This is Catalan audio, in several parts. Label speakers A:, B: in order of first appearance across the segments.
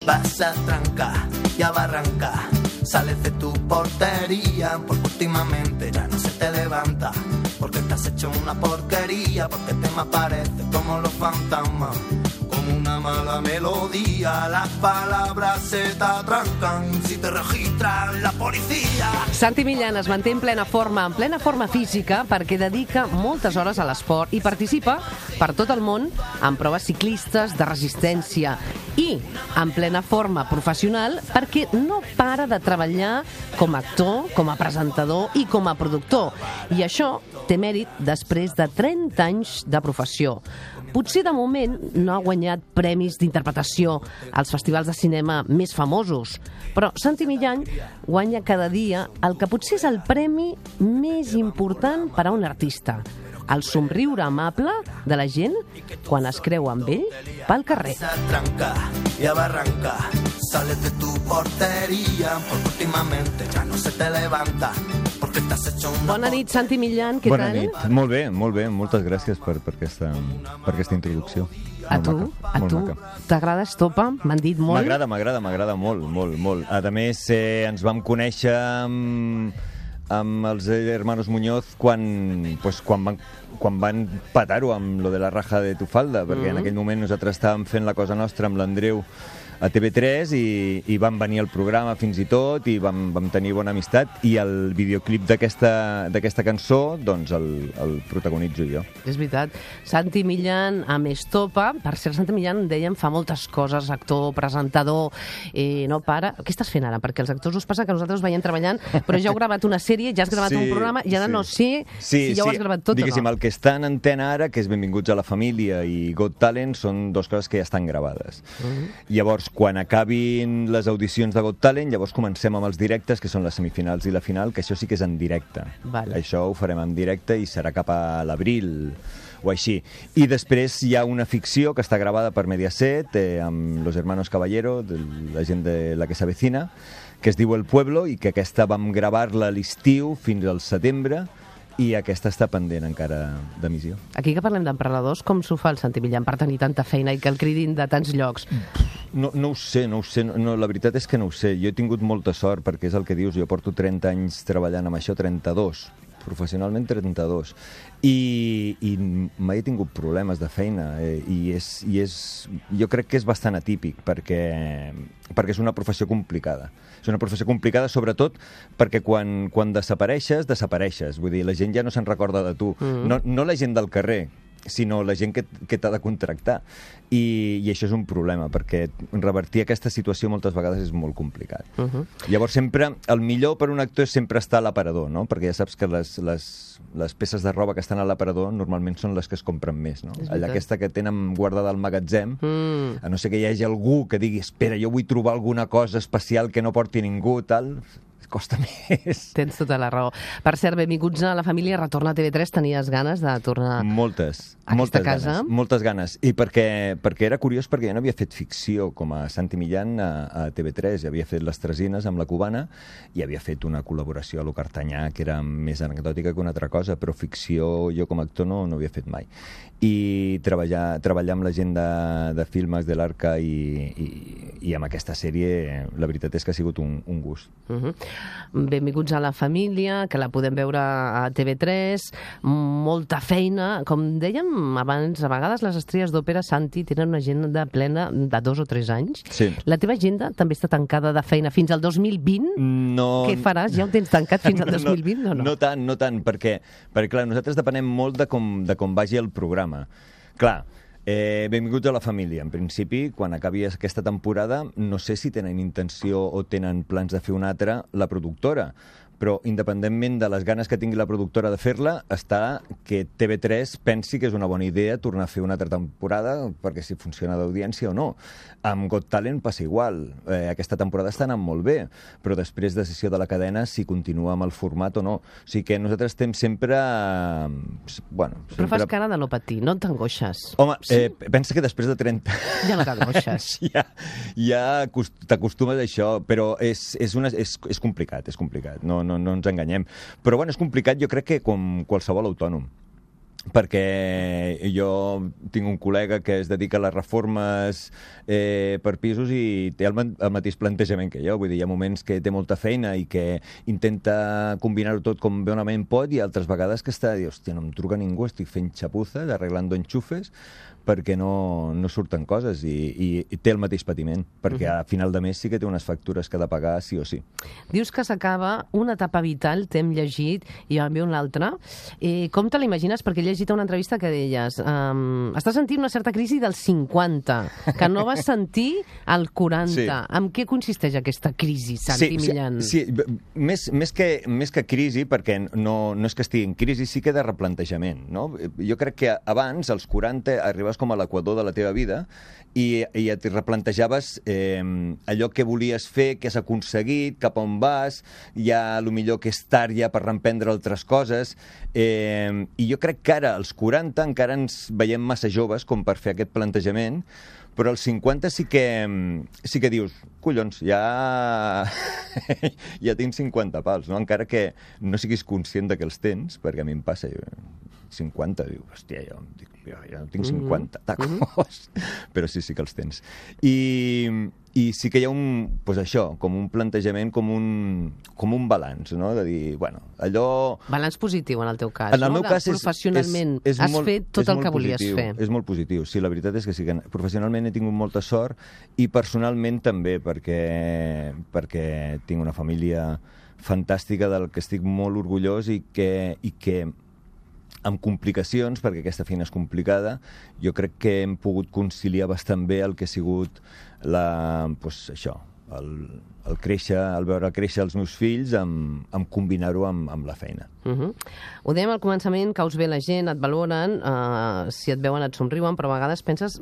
A: vas a trancar, ya va a arrancar. Sales de tu portería porque últimamente ya no se te levanta, porque estás hecho una porquería, porque te me apareces como los fantasmas, como una mala melodía, las palabras se te atrancan si te registra la policía.
B: Santi Millán es manté en plena forma física, perquè dedica moltes hores a l'esport i participa per tot el món en proves ciclistes de resistència i en plena forma professional perquè no para de treballar com a actor, com a presentador i com a productor. I això té mèrit després de 30 anys de professió. Potser de moment no ha guanyat premis d'interpretació als festivals de cinema més famosos, però Santi Millán guanya cada dia el que potser és el premi més important per a un artista, el somriure amable de la gent quan es creu amb ell pel carrer.
A: Ya va a arrancar, sales de tu portería porque últimamente ya no se te levanta.
B: Bona nit, Santi Millán, què tal?
C: Bona nit, molt bé, moltes gràcies per aquesta introducció.
B: A tu? T'agrada Estopa? M'han dit molt.
C: M'agrada molt. A més, ens vam conèixer amb els hermanos Muñoz quan van petar-ho amb lo de la raja de tu falda, perquè en aquell moment nosaltres estàvem fent la cosa nostra amb l'Andreu a TV3 i van venir al programa fins i tot i vam tenir bona amistat i el videoclip d'aquesta cançó doncs el protagonitzo jo.
B: És veritat. Santi Millán amb Estopa. Per cert, Santi Millán, dèiem, fa moltes coses, actor, presentador, no para. Què estàs fent ara? Perquè als actors us passa que nosaltres veiem treballant, però ja heu gravat una sèrie, ja has gravat un programa i ara no sé si ja ho has gravat tot
C: diguéssim,
B: o no.
C: El que està en antena ara, que és Benvinguts a la família i Got Talent, són dues coses que ja estan gravades. Llavors, quan acabin les audicions de Got Talent, llavors comencem amb els directes, que són les semifinals i la final, que això sí que és en directe.
B: Vale.
C: Això ho farem en directe i serà cap a l'abril o així. I després hi ha una ficció que està gravada per Mediaset amb Los Hermanos Caballero, la gent de La que s'avecina, que es diu El Pueblo i que aquesta vam gravar-la a l'estiu fins al setembre i aquesta està pendent encara d'emissió.
B: Aquí que parlem d'emprenedors, com s'ho fa el Santi Millán per tenir tanta feina i que el cridin de tants llocs?
C: No ho sé, la veritat és que no ho sé. Jo he tingut molta sort perquè és el que dius, jo porto 30 anys treballant amb això, 32, professionalment 32, i mai he tingut problemes de feina jo crec que és bastant atípic perquè és una professió complicada. És una professió complicada sobretot perquè quan desapareixes, vull dir, la gent ja no se'n recorda de tu, no la gent del carrer, sinó la gent que t'ha de contractar. I això és un problema, perquè revertir aquesta situació moltes vegades és molt complicat. Llavors sempre, el millor per un actor és sempre estar a l'aparador, no? Perquè ja saps que les peces de roba que estan a l'aparador normalment són les que es compren més, no? Allà aquesta que tenen guardada al magatzem, a no ser que hi hagi algú que digui espera, jo vull trobar alguna cosa especial que no porti ningú, tal, costa més.
B: Tens tota la raó. Per cert, benvinguts a la família, retorna a TV3, tenies ganes de tornar a aquesta casa?
C: Moltes ganes. I perquè era curiós, perquè jo no havia fet ficció com a Santi Millán a TV3, havia fet Les Tresines amb la Cubana i havia fet una col·laboració a Lo Cartanyà que era més anecdòtica que una altra cosa, però ficció jo com a actor no havia fet mai. I treballar amb la gent de Filmes de l'Arca i amb aquesta sèrie, la veritat és que ha sigut un gust.
B: Benvinguts a la família, que la podem veure a TV3, molta feina. Com dèiem abans, a vegades les estrelles d'òpera, Santi, tenen una agenda plena de 2 o 3 anys.
C: Sí.
B: La teva agenda també està tancada de feina fins al 2020?
C: No.
B: Què faràs? Ja ho tens tancat fins al 2020 o no?
C: No tant, perquè clar, nosaltres depenem molt de com vagi el programa. Clar, benvinguts a la família. En principi, quan acabi aquesta temporada, no sé si tenen intenció o tenen plans de fer una altra la productora, però independentment de les ganes que tingui la productora de fer-la, està que TV3 pensi que és una bona idea tornar a fer una altra temporada, perquè si funciona d'audiència o no. Amb Got Talent passa igual. Aquesta temporada està anant molt bé, però després decisió de la cadena si continua amb el format o no. O sigui que nosaltres estem sempre...
B: Però fas cara de no patir, no t'angoixes.
C: Home, pensa que després de 30...
B: Ja no t'angoixes.
C: ja t'acostumes a això, però és complicat, és complicat. No ens enganyem. Però bueno, és complicat, jo crec que com qualsevol autònom. perquè jo tinc un col·lega que es dedica a les reformes per pisos i té el mateix plantejament que jo. Vull dir, hi ha moments que té molta feina i que intenta combinar-ho tot com bonament pot, i altres vegades que està, hòstia, no em truca ningú, estic fent xapuzes, arreglando enxufes, perquè no surten coses, i té el mateix patiment, perquè a final de mes sí que té unes factures que ha de pagar sí o sí.
B: Dius que s'acaba una etapa vital, t'hem llegit, i en ve una altra. Com te l'imagines? Perquè he llegit una entrevista que deies estàs sentint una certa crisi dels 50, que no vas sentir al 40. Sí. En què consisteix aquesta crisi, Santi Millán?
C: Sí, més que crisi, perquè no és que estigui en crisi, sí que de replantejament, no? Jo crec que abans, als 40, arribaves com a l'equador de la teva vida i et replantejaves allò que volies fer, què has aconseguit, cap on vas, ja millor que és tard ja per reemprendre altres coses, i jo crec que ara, als 40, encara ens veiem massa joves com per fer aquest plantejament, però als 50 sí que dius, collons, ja tinc 50 pals, no? Encara que no siguis conscient de que els tens, perquè a mi em passa, 50, diu, hòstia, jo no tinc 50 tacos, però sí que els tens. I sí que hi ha com un plantejament, com un balanç, no? De dir, bueno, allò...
B: Balanç positiu, en el teu cas,
C: en el meu cas
B: professionalment has fet tot el que volies fer.
C: És molt positiu, sí, la veritat és que sí, que professionalment he tingut molta sort, i personalment també, perquè tinc una família fantàstica del que estic molt orgullós, i que amb complicacions, perquè aquesta feina és complicada, jo crec que hem pogut conciliar bastant bé el que ha sigut el veure créixer els meus fills, amb combinar-ho amb la feina.
B: Ho dèiem al començament, caus bé la gent, et valoren, si et veuen et somriuen, però a vegades penses...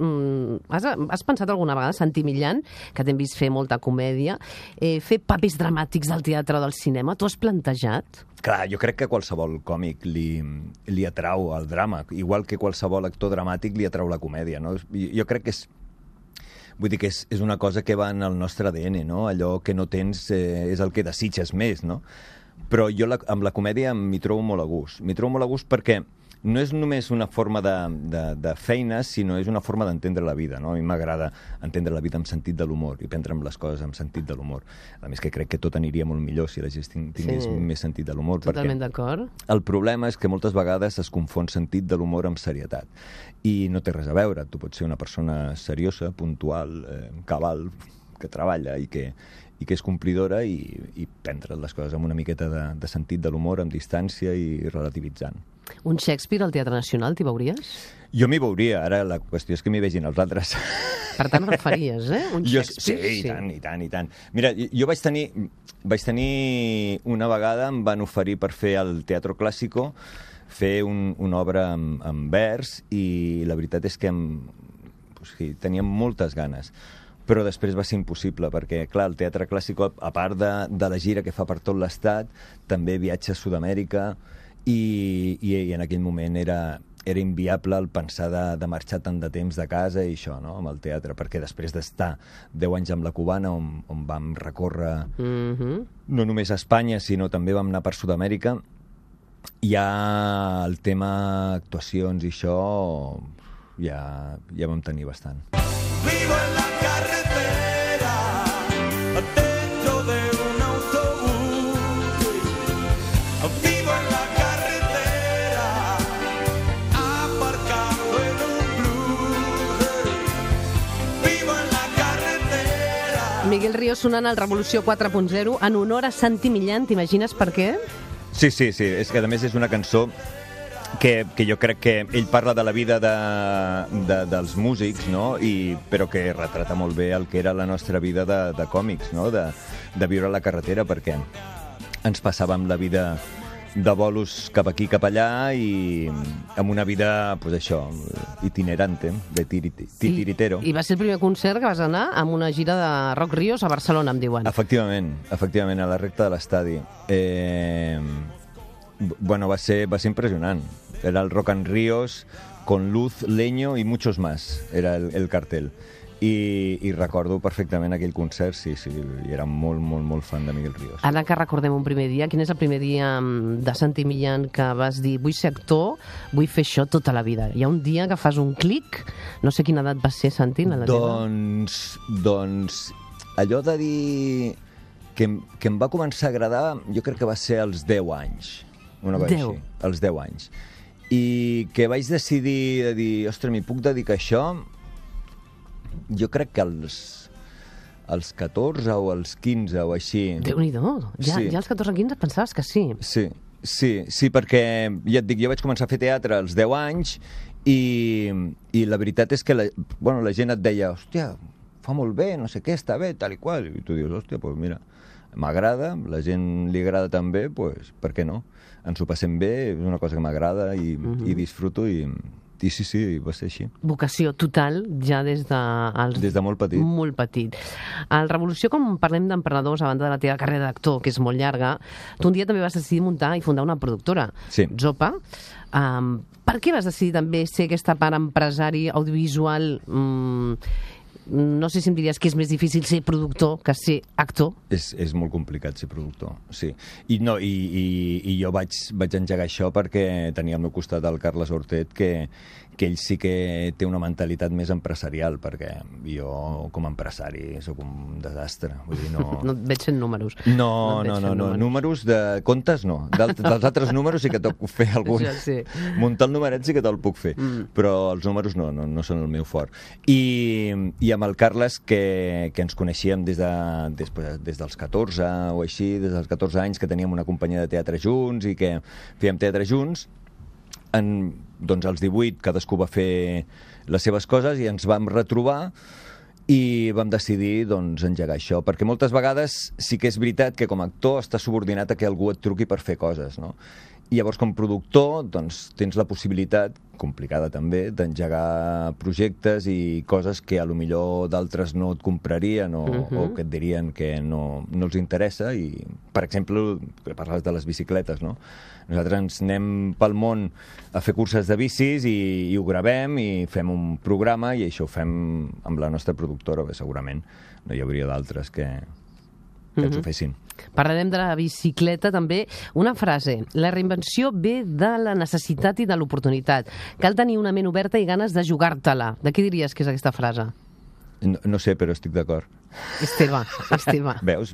B: Has pensat alguna vegada, Santi Millán, que t'hem vist fer molta comèdia, fer papers dramàtics del teatre o del cinema? T'ho has plantejat?
C: Clar, jo crec que qualsevol còmic li atrau el drama, igual que qualsevol actor dramàtic li atrau la comèdia, no? Jo crec que vull dir que és una cosa que va en el nostre ADN, no? Allò que no tens és el que desitges més, no? Però jo amb la comèdia m'hi trobo molt a gust. M'hi trobo molt a gust perquè no és només una forma de feina, sinó és una forma d'entendre la vida, no? A mi m'agrada entendre la vida amb sentit de l'humor i prendre'm les coses amb sentit de l'humor. A més que crec que tot aniria molt millor si la gent tingués més sentit de l'humor.
B: Totalment d'acord.
C: El problema és que moltes vegades es confon sentit de l'humor amb serietat. I no té res a veure. Tu pots ser una persona seriosa, puntual, cabal, que treballa i que és complidora, i prendre les coses amb una miqueta de sentit de l'humor, amb distància i relativitzant.
B: Un Shakespeare al Teatre Nacional, t'hi veuries?
C: Jo m'hi veuria, ara la qüestió és que m'hi vegin els altres.
B: Per tant, ho faries, Un Shakespeare?
C: Sí, i tant. Mira, jo vaig tenir una vegada, em van oferir per fer al Teatro Clásico, fer una obra en vers, i la veritat és que tenia moltes ganes, però després va ser impossible, perquè, clar, el Teatre Clàssic, a part de la gira que fa per tot l'estat, també viatja a Sud-amèrica, i en aquell moment era inviable el pensar de marxar tant de temps de casa i això, no?, amb el teatre, perquè després d'estar 10 anys amb la Cubana, on vam recórrer no només a Espanya, sinó també vam anar per Sud-amèrica, ja el tema actuacions i això ja vam tenir bastant. Vivo en la carretera, dentro de un autobús. Vivo en la carretera, aparcado en un blues. Vivo en la carretera.
B: Miguel Ríos sonant al Revolució 4.0 en honor a Santi Millán. T'imagines per què?
C: Sí, és que a més és una cançó que jo crec que ell parla de la vida dels músics, no? Però que retrata molt bé el que era la nostra vida de còmics, no? De viure a la carretera, perquè ens passàvem la vida de bolos cap aquí, cap allà, i amb una vida, pues això, itinerante, de titiritero.
B: I va ser el primer concert que vas anar amb una gira de Rock Ríos a Barcelona, em diuen.
C: Efectivament, a la recta de l'estadi. Bueno, va ser impresionant. Era el Rock and Ríos con luz, leño y muchos más, era el cartel. I recordo perfectament aquell concert, sí, i era molt, molt, molt fan de Miguel Ríos.
B: Ara que recordem un primer dia, quin és el primer dia de Santi Millán que vas dir vull ser actor, vull fer això tota la vida? Hi ha un dia que fas un clic, no sé quina edat va ser, Santi, la teva?
C: Doncs allò de dir que em va començar a agradar, jo crec que va ser als 10 anys, una cosa així, als 10 anys. I que vaig decidir de dir, ostres, m'hi puc dedicar a això, jo crec que als 14 o als 15 o així.
B: Déu-n'hi-do, ja als 14-15 pensaves que sí.
C: Sí, perquè ja et dic, jo vaig començar a fer teatre als 10 anys i la veritat és que la gent et deia, hòstia, fa molt bé, no sé què, està bé, tal i qual. I tu dius, hòstia, doncs mira, m'agrada, la gent li agrada també, doncs per què no? Ens ho passem bé, és una cosa que m'agrada i disfruto i sí, va ser així.
B: Vocació total ja des de
C: molt petit.
B: Molt petit. Al Revolució, com parlem d'emprenedors, a banda de la teva carrera d'actor, que és molt llarga, tu un dia també vas decidir muntar i fundar una productora, Zopa. Per què vas decidir també ser aquesta part empresari audiovisual? No sé si em diries que és més difícil ser productor que ser actor.
C: És molt complicat ser productor, sí. I jo vaig engegar això perquè tenia al meu costat el Carles Hortet, que ell sí que té una mentalitat més empresarial, perquè jo com a empresari sóc un desastre. Vull dir, no
B: et veig fent números.
C: No, números de comptes no. Dels altres números sí que te'l puc fer algun.
B: Sí. Muntar
C: el numeret sí que te'l puc fer, però els números no són el meu fort. I amb el Carles, que ens coneixíem des dels 14 o així, des dels 14 anys, que teníem una companyia de teatre junts i que fèiem teatre junts, doncs als 18 cadascú va fer les seves coses i ens vam retrobar i vam decidir engegar això, perquè moltes vegades sí que és veritat que com a actor estàs subordinat a que algú et truqui per fer coses, no? I llavors, com a productor, tens la possibilitat, complicada també, d'engegar projectes i coses que a lo millor d'altres no et comprarien o que et dirien que no els interessa. I, per exemple, que parles de les bicicletes, no? Nosaltres ens anem pel món a fer curses de bicis i ho gravem i fem un programa i això ho fem amb la nostra productora, bé, segurament no hi hauria d'altres que ens ho fessin.
B: Parlarem de la bicicleta també. Una frase: la reinvenció ve de la necessitat i de l'oportunitat. Cal tenir una ment oberta i ganes de jugar-te-la. De què diries que és aquesta frase?
C: No sé, però estic d'acord.
B: És teva.
C: Veus?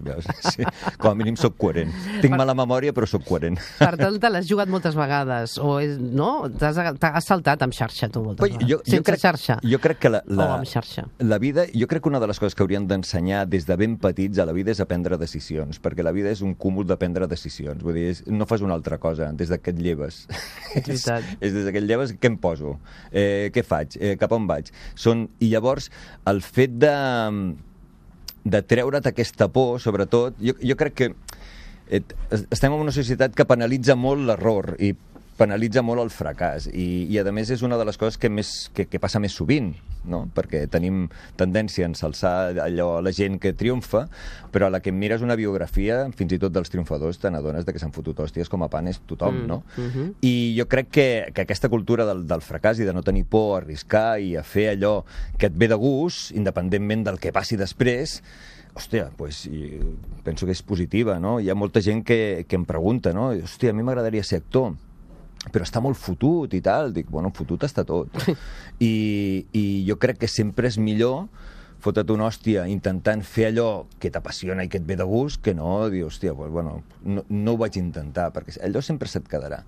C: Sí. Com a mínim soc coherent. Tinc mala memòria, però soc coherent.
B: Per tant, te l'has jugat moltes vegades, no? T'has saltat amb xarxa, tu, moltes vegades. Sense xarxa.
C: Jo crec que
B: o amb xarxa.
C: La vida, jo crec que una de les coses que haurien d'ensenyar des de ben petits a la vida és a prendre decisions, perquè la vida és un cúmul de prendre decisions. Vull dir, no fas una altra cosa des que et lleves.
B: És veritat.
C: És des que et lleves, què em poso? Què faig? Cap on vaig? I llavors, el fet de treure't aquesta por, sobretot, jo crec que estem en una societat que penalitza molt l'error i penalitza molt el fracàs i a més és una de les coses que passa més sovint, no? Perquè tenim tendència a ensalçar allò la gent que triomfa, però a la que mires una biografia, fins i tot dels triomfadors, te n'adones que s'han fotut hòsties com a panes tothom, no? I jo crec que aquesta cultura del fracàs i de no tenir por a arriscar i a fer allò que et ve de gust, independentment del que passi després, hòstia, doncs penso que és positiva, no? Hi ha molta gent que em pregunta, no? Hòstia, a mi m'agradaria ser actor, però està molt fotut i tal. Dic, bueno, fotut està tot. I jo crec que sempre és millor fotre't una hòstia intentant fer allò que t'apassiona i que et ve de gust, que no dir, hòstia, doncs, bueno, no ho vaig intentar, perquè allò sempre se't quedarà.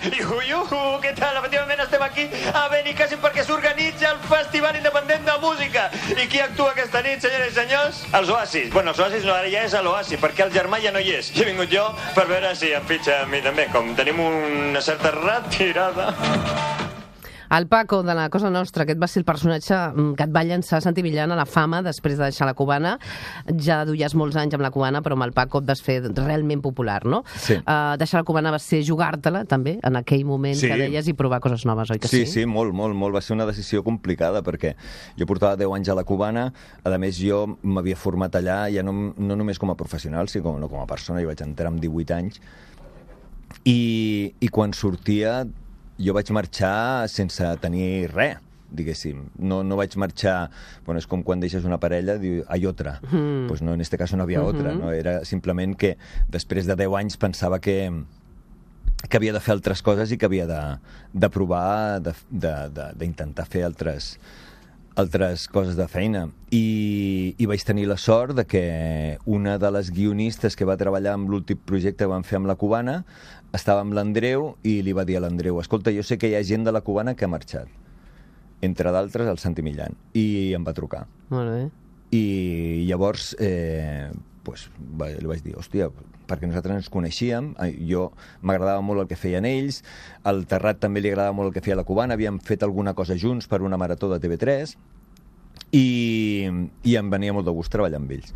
D: Iuhu, què tal? Efectivament estem aquí a Benicàssim perquè s'organitza el Festival Independent de Música. I qui actua aquesta nit, senyores i senyors? Els Oasis. Bueno, els Oasis no, ara ja és l'Oasi, perquè el germà ja no hi és. I he vingut jo per veure si em fitxa a mi també, com tenim una certa retirada.
B: El Paco, de la Cosa Nostra, aquest va ser el personatge que et va llançar Santi Millán a la fama després de deixar la Cubana. Ja duies molts anys amb la Cubana, però amb el Paco et vas fer realment popular, no?
C: Sí.
B: Deixar la Cubana va ser jugar-te-la, també, en aquell moment que deies, i provar coses noves, oi que sí?
C: Sí, molt. Va ser una decisió complicada, perquè jo portava 10 anys a la Cubana, a més jo m'havia format allà, ja no només com a professional, sinó com a persona, jo vaig entrar amb 18 anys, i quan sortia jo vaig marxar sense tenir res. diguéssim. No vaig marxar... Bueno, és com quan deixes una parella, diu, hay otra. Pues no, en este caso no había otra, no? Era simplement que després de 10 anys pensava que havia de fer altres coses i que havia de provar, d'intentar fer altres coses de feina. I vaig tenir la sort de que una de les guionistes que va treballar amb l'últim projecte que vam fer amb la Cubana estava amb l'Andreu i li va dir a l'Andreu, escolta, jo sé que hi ha gent de la Cubana que ha marxat, entre d'altres el Santi Millán, i em va trucar.
B: Molt bé.
C: I llavors li vaig dir, hòstia, perquè nosaltres ens coneixíem, jo m'agradava molt el que feien ells, al Terrat també li agradava molt el que feia la Cubana, havíem fet alguna cosa junts per una marató de TV3 i em venia molt de gust treballar amb ells.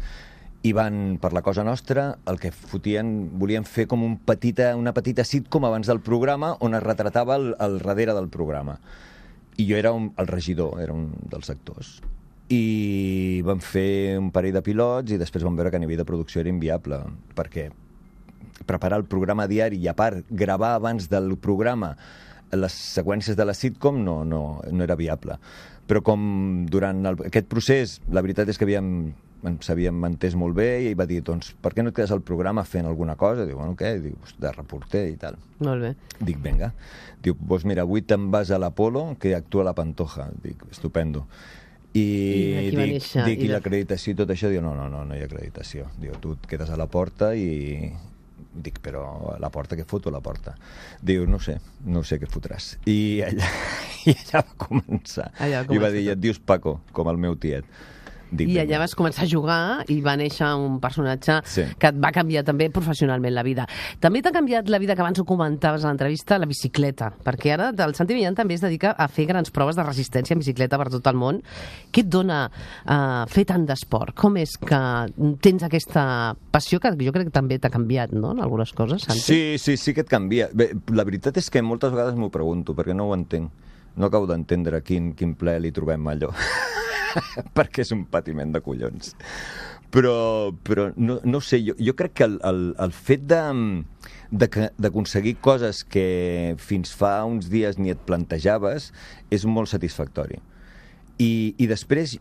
C: I van, per la cosa nostra, el que volien fer com una petita sitcom abans del programa on es retratava el darrere del programa. I jo era el regidor, era un dels actors. I vam fer un parell de pilots i després vam veure que a nivell de producció era inviable, perquè preparar el programa diari i a part gravar abans del programa les seqüències de la sitcom no era viable. Però com durant aquest procés la veritat és que ens havíem entès molt bé i ell va dir, doncs, per què no et quedes al programa fent alguna cosa? Diu, bueno, què? Diu, de reporter i tal.
B: Molt bé.
C: Dic, vinga. Diu, doncs mira, avui te'n vas a l'Apolo, que actua la Pantoja. Dic, estupendo. I dic, i l'acreditació i tot això? Diu, no hi ha acreditació. Diu, tu et quedes a la porta i... Dic, però a la porta, què foto a la porta? Diu, no sé què fotràs. I allà va començar. I va dir, et dius Paco, com el meu tiet.
B: I allà vas començar a jugar i va néixer un personatge que et va canviar també professionalment la vida. També t'ha canviat la vida, que abans ho comentaves a l'entrevista, la bicicleta, perquè ara el Santi Millán també es dedica a fer grans proves de resistència en bicicleta per tot el món. Què et dona fer tant d'esport? Com és que tens aquesta passió que jo crec que també t'ha canviat, no?, en algunes coses, Santi?
C: Sí que et canvia. Bé, la veritat és que moltes vegades m'ho pregunto, perquè no ho entenc. No acabo d'entendre quin ple li trobem allò. Perquè és un patiment de collons. Però no sé, jo crec que el fet d'aconseguir coses que fins fa uns dies ni et plantejaves és molt satisfactori. I després,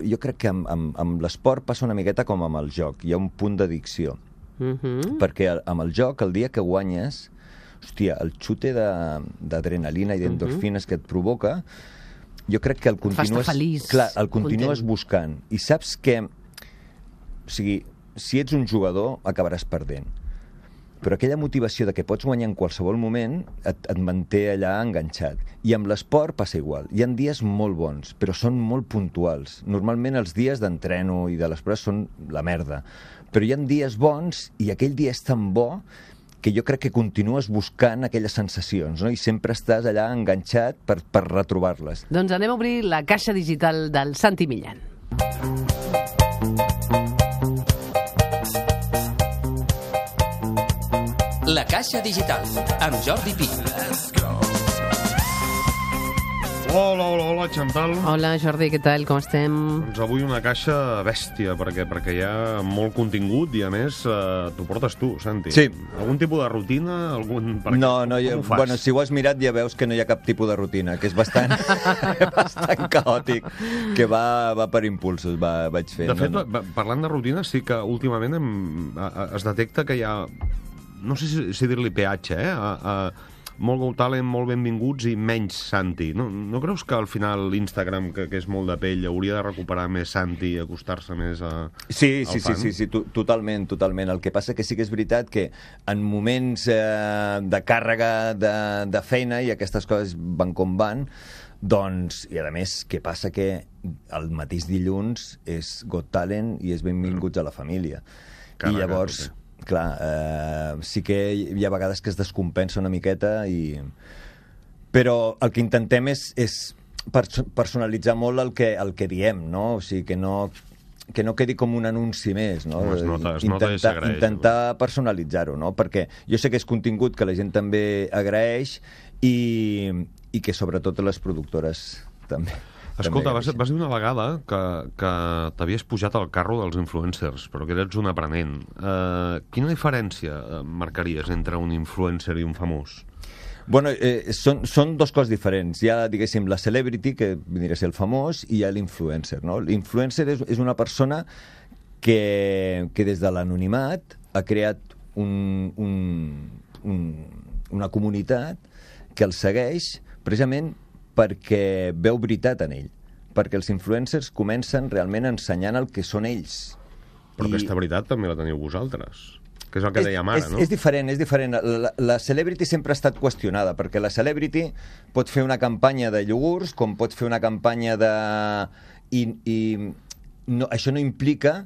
C: jo crec que amb l'esport passa una miqueta com amb el joc. Hi ha un punt d'addicció. Perquè amb el joc, el dia que guanyes, hòstia, el xute d'adrenalina i d'endorfines que et provoca, jo crec que el continues buscant. I saps que, o sigui, si ets un jugador, acabaràs perdent. Però aquella motivació de que pots guanyar en qualsevol moment et manté allà enganxat. I amb l'esport passa igual. Hi ha dies molt bons, però són molt puntuals. Normalment els dies d'entreno i de les proves són la merda. Però hi ha dies bons i aquell dia és tan bo que jo crec que continues buscant aquelles sensacions, no? I sempre estàs allà enganxat per retrobar-les.
B: Doncs anem a obrir la caixa digital del Santi Millán.
E: La caixa digital, amb Jordi Pi.
F: Hola, Chantal.
B: Hola, Jordi, què tal? Com estem?
F: Doncs avui una caixa bèstia, perquè hi ha molt contingut i, a més, t'ho portes tu, Santi.
C: Sí.
F: Algun tipus de rutina?
C: Bueno, si ho has mirat ja veus que no hi ha cap tipus de rutina, que és bastant caòtic, que va per impulsos, vaig fer.
F: De fet, parlant de rutina, sí que últimament es detecta que hi ha, no sé si dir-li peatge, molt Got Talent, molt benvinguts i menys Santi. No creus que al final l'Instagram, que és molt de pell, hauria de recuperar més Santi i acostar-se més al fan?
C: Sí, totalment. El que passa que sí que és veritat que en moments de càrrega de feina, i aquestes coses van com van, doncs, i a més, què passa? Que el mateix dilluns és Got Talent i és benvinguts a la família. I llavors... Clar, sí que hi ha vegades que es descompensa una miqueta, però el que intentem és personalitzar molt el que diem, no? O sigui, que no quedi com un anunci més, no?
F: Es nota i s'agraeix.
C: Intentar personalitzar-ho, no? Perquè jo sé que és contingut que la gent també agraeix i que sobretot les productores també.
F: Escolta, vas dir una vegada que t'havies pujat al carro dels influencers, però que eres un aprenent. Quina diferència marcaries entre un influencer i un famós?
C: Bueno, són dos coses diferents. Hi ha, diguéssim, la celebrity, que vindria a ser el famós, i hi ha l'influencer, no? L'influencer és una persona que des de l'anonimat ha creat una comunitat que el segueix precisament perquè veu veritat en ell, perquè els influencers comencen realment ensenyant el que són ells.
F: Però aquesta veritat també la teniu vosaltres, que és el que dèiem ara, no?
C: És diferent, és diferent. La celebrity sempre ha estat qüestionada, perquè la celebrity pot fer una campanya de iogurts, com pot fer una campanya de... això no implica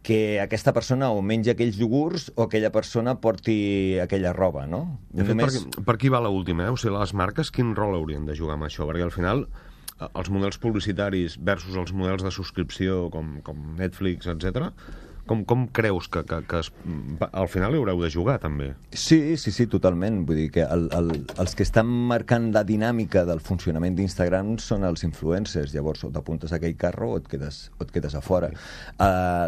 C: que aquesta persona o mengi aquells iogurts o aquella persona porti aquella roba, no?
F: De fet, per aquí va l'última, O sigui, les marques quin rol haurien de jugar amb això? Perquè al final els models publicitaris versus els models de subscripció com Netflix, etc. Com creus que al final hi haureu de jugar, també?
C: Sí, totalment. Vull dir que els que estan marcant la dinàmica del funcionament d'Instagram són els influencers. Llavors, o t'apuntes a aquell carro o et quedes a fora.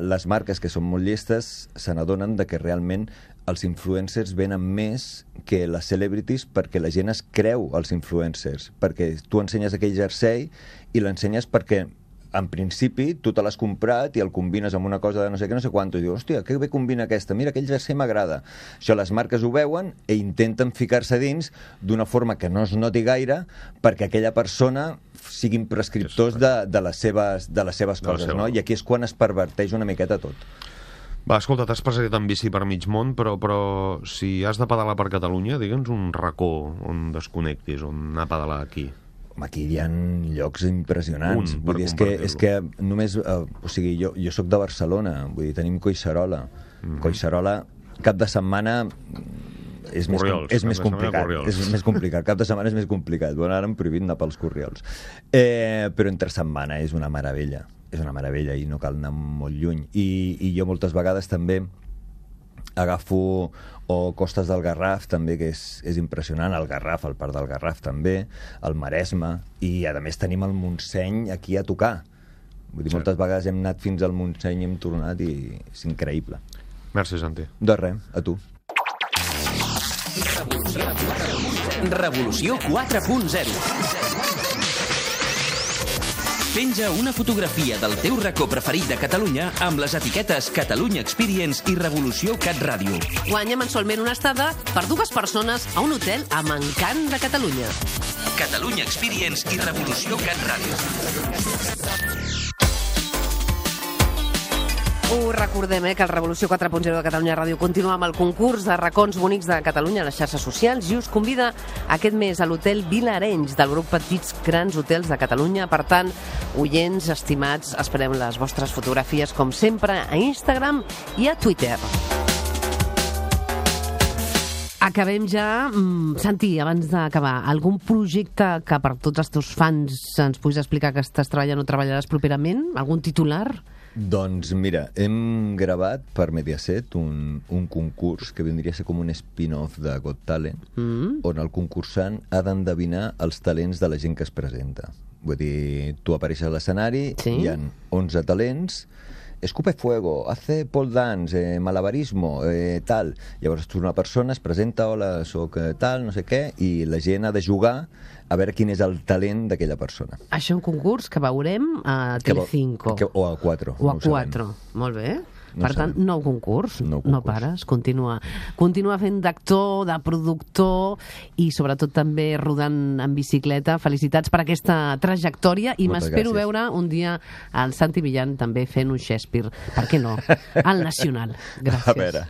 C: Les marques, que són molt llestes, se n'adonen de que realment els influencers venen més que les celebrities perquè la gent es creu els influencers. Perquè tu ensenyes aquell jersei i l'ensenyes perquè en principi, tu te l'has comprat i el combines amb una cosa de no sé què, no sé quant, i dius, hòstia, que bé combina aquesta, mira, aquell jersei m'agrada. Això les marques ho veuen i intenten ficar-se dins d'una forma que no es noti gaire perquè aquella persona siguin prescriptors de les seves coses, no? I aquí és quan es perverteix una miqueta tot.
F: Va, escolta, t'has passat en bici per mig món, però si has de pedalar per Catalunya, digue'ns un racó on desconnectis, on anar a pedalar aquí.
C: Aquí hi ha llocs impressionants. Vull dir, és que només... o sigui, jo soc de Barcelona, vull dir, tenim Collserola. Collserola, cap de setmana és més complicat. És més complicat. Cap de setmana és més complicat. Bueno, ara han prohibit anar pels Corriols. Però entre setmana és una meravella. És una meravella i no cal anar molt lluny. I jo moltes vegades també agafo o Costes del Garraf també, que és impressionant, el Garraf, el Parc del Garraf també, el Maresme, i a més tenim el Montseny aquí a tocar. Vull dir, moltes vegades hem anat fins al Montseny i hem tornat i és increïble.
F: Merci, Santi.
C: De res, a tu.
E: Revolució 4.0. Penja una fotografia del teu racó preferit de Catalunya amb les etiquetes Catalunya Experience i Revolució Cat Ràdio.
B: Guanya mensualment una estada per 2 persones a un hotel amb encant de Catalunya.
E: Catalunya Experience i Revolució Cat Ràdio.
B: Ho recordem, que el Revolució 4.0 de Catalunya Ràdio continua amb el concurs de racons bonics de Catalunya a les xarxes socials i us convida aquest mes a l'hotel Vilarenys del grup Petits Grans Hotels de Catalunya. Per tant, oients estimats, esperem les vostres fotografies com sempre a Instagram i a Twitter. Acabem ja. Santi, abans d'acabar, algun projecte que per tots els teus fans ens puguis explicar que estàs treballant o treballaràs properament? Algun titular?
C: Doncs mira, hem gravat per Mediaset un concurs que vindria a ser com un spin-off de Got Talent, on el concursant ha d'endevinar els talents de la gent que es presenta. Vull dir, tu apareixes a l'escenari,
B: sí?
C: Hi ha 11 talents, escupe fuego, hace pole dance, malabarismo, tal. Llavors tu una persona es presenta, hola, soc tal, no sé què, i la gent ha de jugar a veure quin és el talent d'aquella persona.
B: Això és un concurs que veurem a Telecinco.
C: O a 4.
B: O a 4, molt bé. Per tant, nou concurs, no pares, continua fent d'actor, de productor i sobretot també rodant en bicicleta. Felicitats per aquesta trajectòria i m'espero veure un dia el Santi Millán també fent un Shakespeare. Per què no? Al Nacional. Gràcies.
C: A veure...